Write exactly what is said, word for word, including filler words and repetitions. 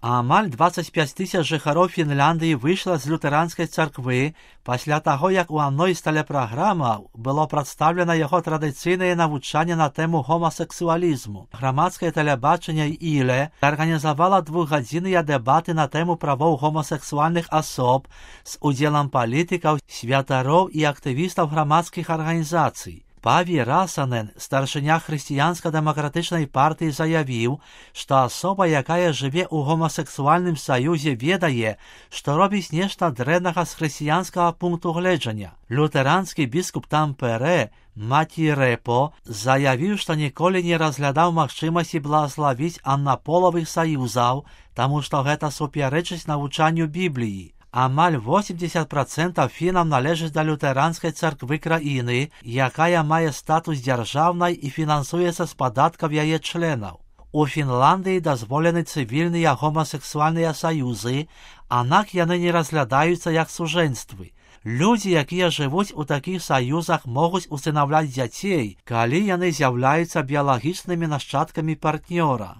Амаль двадцять п'ять тисяч жыхароў Фінляндыі выйшла з лютэранскай царквы пасля таго, як у адной з тэлепраграмаў было прадстаўлена яго традыцыйнае навучанне на тэму гомасексуалізму. Грамадскае тэлебачанне «Іле» арганізавала двухгадзінныя дэбаты на тэму правоў гомасексуальных асоб з удзелам палітыкаў, святароў і актывістаў грамадскіх арганізацый. Паві Расанен, старшыня хрысціянска-дэмакратычнай партыі, заявіў, што асоба, якая жыве ў гомасексуальным саюзе, ведае, што робіць нешта дрэннага з хрысціянскага пункту гледжання. Лютэранскі біскуп Тампере Маці Рэпо заявіў, што ніколі не разглядаў магчымасці благаславіць аднаполавых саюзаў, таму што гэта супярэчыць навучанню Бібліі. Амаль восемьдесят процентов фінаў належыць да лютэранскай царквы краіны, якая мае статус дзяржаўнай і фінансуецца з падаткаў яе членаў. У Фінландыі дазволены цывільныя гомасексуальныя саюзы, аднак яны не разглядаюцца як сужэнствы. Людзі, якія жывуць у такіх саюзах, могуць усынаўляць дзяцей, калі яны з'яўляюцца біялагічнымі нашчадкамі партнёра.